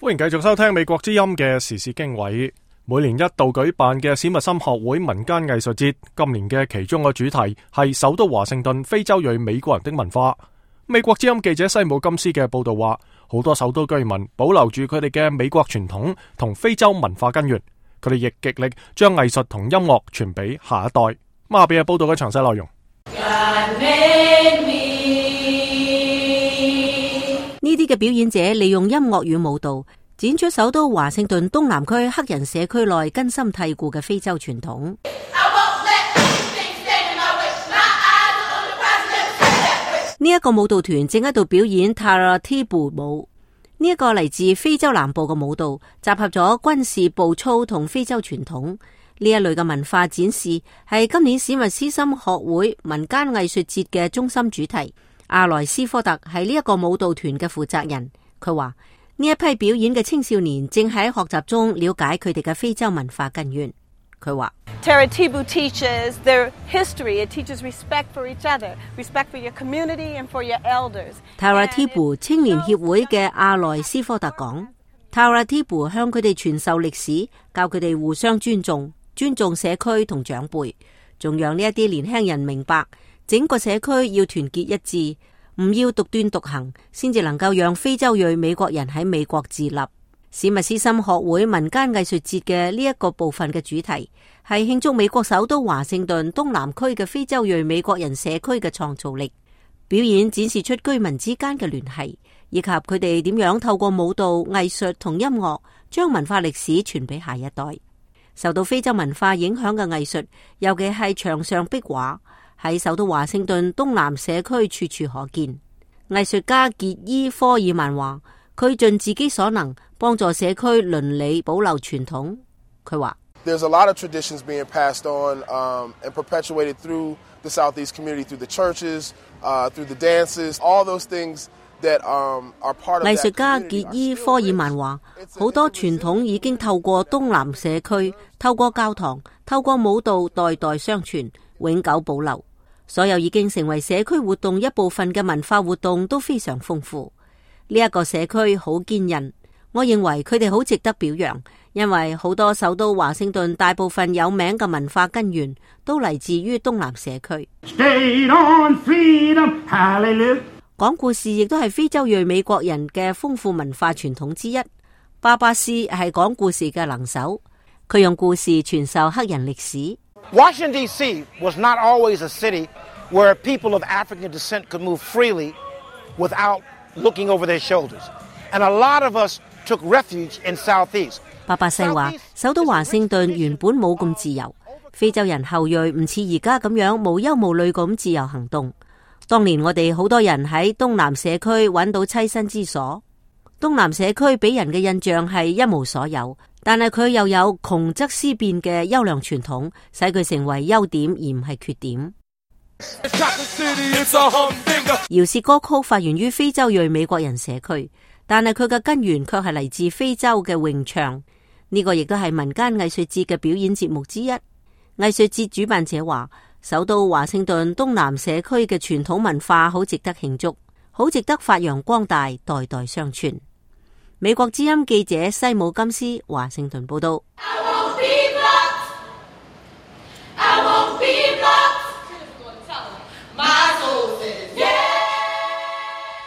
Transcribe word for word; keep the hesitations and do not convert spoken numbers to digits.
歡迎繼續收聽美國之音嘅時事經緯。每年一度舉辦嘅史密森學會民間藝術節，今年嘅其中個主題係首都華盛頓非洲裔美國人的文化。美國之音記者西姆金斯嘅報道話，好多首都居民保留住佢哋嘅美國傳統同非洲文化根源，佢哋亦極力將藝術同音樂傳俾下一代。咁下邊係報道嘅詳細內容。呢啲嘅表演者利用音樂與舞蹈，展出首都華盛頓東南區黑人社區內根深蒂固嘅非洲傳統。呢一個舞蹈團正喺度表演 Taratibu 舞，呢一個嚟自非洲南部嘅舞蹈，集合咗軍事步操同非洲傳統。呢一類嘅文化展示係今年史密斯森學會民間藝術節嘅中心主題。阿萊斯科特係呢一個舞蹈團嘅負責人，佢話呢一批表演嘅青少年正喺學習中了解佢哋嘅非洲文化根源。佢話 Taratibu teaches their history. It teaches respect for each other, respect for your community and for your elders. Taratibu 青年協會嘅阿萊斯科特講 ，Taratibu 向佢哋傳授歷史，教佢哋互相尊重，尊重社區同長輩，仲讓呢一啲年輕人明白整個社區要團結一致，唔要獨斷獨行，先至能夠讓非洲裔美國人喺美國自立。史密斯森學會民間藝術節嘅呢一個部分嘅主題係慶祝美國首都華盛頓東南區嘅非洲裔美國人社區嘅創造力。表演展示出居民之間嘅聯繫，以及佢哋點樣透過舞蹈、藝術同音樂將文化歷史傳俾下一代。受到非洲文化影響嘅藝術，尤其係牆上壁畫，喺首都華盛頓東南社區處處可見。藝術家傑伊科爾曼話，佢盡自己所能幫助社區倫理保留傳統。佢話 There's a lot of traditions being passed on um, and perpetuated through the Southeast community, through the churches, uh, through the dances, all those things that um, are part of that community. 藝術家傑伊科爾曼話，好多傳統已經透過東南社區，透過教堂，透過舞蹈代代相傳，永久保留。所有已經成為社區活動一部分嘅文化活動都非常豐富。呢一個社區好堅韌，我認為佢哋好值得表揚，因為好多首都華盛頓大部分有名嘅文化根源都嚟自於東南社區。講故事亦都係非洲裔美國人嘅豐富文化傳統之一。巴巴斯係講故事嘅能手，佢用故事傳授黑人歷史。Washington D C was not always a city where people of African descent could move freely without looking over their shoulders. And a lot of us took refuge in Southeast. 巴巴西話，首都華盛頓原本冇咁自由，非洲人後裔唔似而家咁樣無憂無慮咁自由行動。當年我哋好多人喺東南社區揾到棲身之所。東南社區俾人嘅印象係一無所有，但係佢又有窮則思變嘅優良傳統，使佢成為優點而唔係缺點。饒舌歌曲發源於非洲裔美國人社區，但係佢嘅根源卻係嚟自非洲嘅詠唱。呢個亦都係民間藝術節嘅表演節目之一。藝術節主辦者話，首都華盛頓東南社區嘅傳統文化好值得慶祝，好值得發揚光大，代代相傳。美國之音記者西姆金斯華盛頓報道。